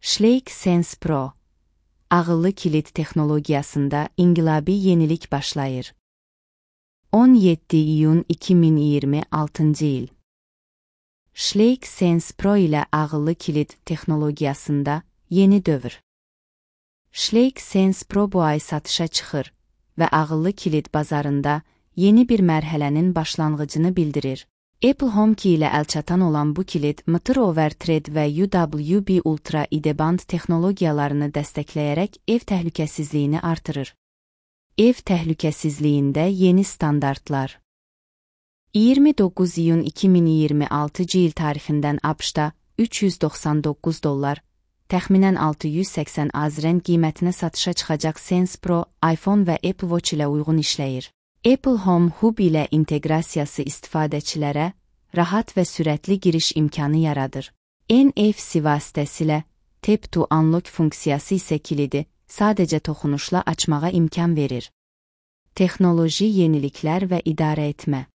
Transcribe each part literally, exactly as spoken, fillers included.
Schlage Sense Pro, ağıllı kilit texnologiyasında inqilabi yenilik başlayır. on yeddi iyun iki min iyirmi altıncı il. Schlage Sense Pro ilə ağıllı kilit texnologiyasında yeni dövr. Schlage Sense Pro bu ay satışa çıxır və ağıllı kilit bazarında yeni bir mərhələnin başlanğıcını bildirir. Apple HomeKey ilə əlçatan olan bu kilit M T R Overthread və U W B Ultra IdeBand texnologiyalarını dəstəkləyərək ev təhlükəsizliyini artırır. Ev təhlükəsizliyində yeni standartlar. iyirmi doqquz iyun iki min iyirmi altıncı il tarixindən A B Ş-da üç yüz doxsan doqquz dollar, təxminən altı yüz səksən azren qiymətinə satışa çıxacaq Sense Pro, iPhone və Apple Watch ilə uyğun işləyir. Apple Home Hub ilə inteqrasiyası istifadəçilərə rahat və sürətli giriş imkanı yaradır. N F C vasitəsilə Tap to Unlock funksiyası isə kilidi sadəcə toxunuşla açmağa imkan verir. Texnoloji yeniliklər və idarə etmə.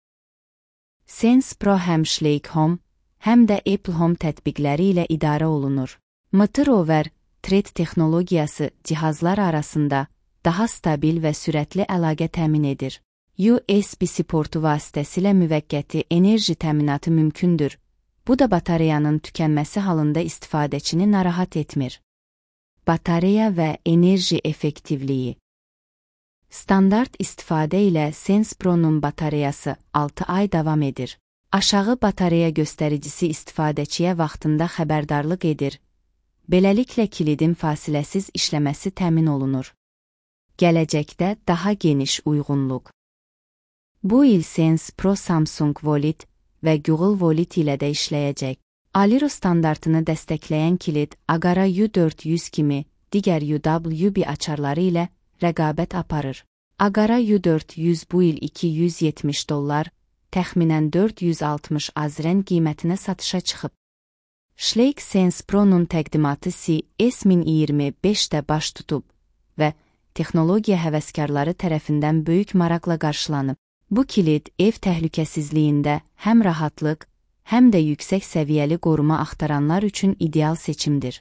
Sense Pro həm Schlage Home, həm də Apple Home tətbiqləri ilə idarə olunur. M T R Overthread texnologiyası cihazlar arasında daha stabil və sürətli əlaqə təmin edir. U S B-C portu vasitəsilə müvəqqəti enerji təminatı mümkündür. Bu da batareyanın tükənməsi halında istifadəçini narahat etmir. Batareya və enerji effektivliyi. Standart istifadə ilə Sense Pro-nun batareyası altı ay davam edir. Aşağı batareya göstəricisi istifadəçiyə vaxtında xəbərdarlıq edir. Beləliklə kilidin fasiləsiz işləməsi təmin olunur. Gələcəkdə daha geniş uyğunluq. Bu il Sense Pro Samsung Wallet və Google Wallet ilə də işləyəcək. Aliro standartını dəstəkləyən kilit Agara U dörd yüz kimi digər U W B açarları ilə rəqabət aparır. Agara U dörd yüz bu il iki yüz yetmiş dollar, təxminən dörd yüz altmış azren qiymətinə satışa çıxıb. Schlage Sense Pro-nun təqdimatı C S min iyirmi beşdə baş tutub və texnologiya həvəskarları tərəfindən böyük maraqla qarşılanıb. Bu kilit ev təhlükəsizliyində həm rahatlıq, həm də yüksək səviyyəli qoruma axtaranlar üçün ideal seçimdir.